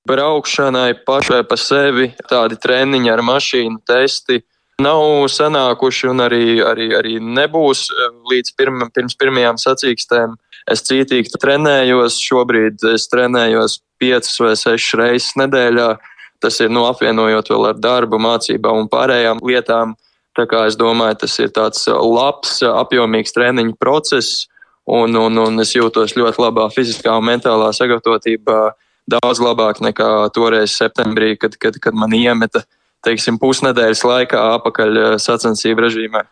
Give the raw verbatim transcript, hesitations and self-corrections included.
braukšanai pašai pa sevi, tādi treniņi ar mašīnu, testi nav sanākuši un arī, arī, arī nebūs līdz pirma, pirms pirmajām sacīkstēm. Es cītīgi trenējos, šobrīd es trenējos piecas vai sešas reizes nedēļā. Tas ir nu, apvienojot vēl ar darbu, mācībām un pārējām lietām. Tā kā es domāju, tas ir tāds labs, apjomīgs treniņu process un, un, un es jūtos ļoti labā fiziskā un mentālā sagatavotībā daudz labāk nekā toreiz septembrī, kad, kad, kad man iemeta teiksim, pusnedēļas laikā apakaļ sacensību režīmā.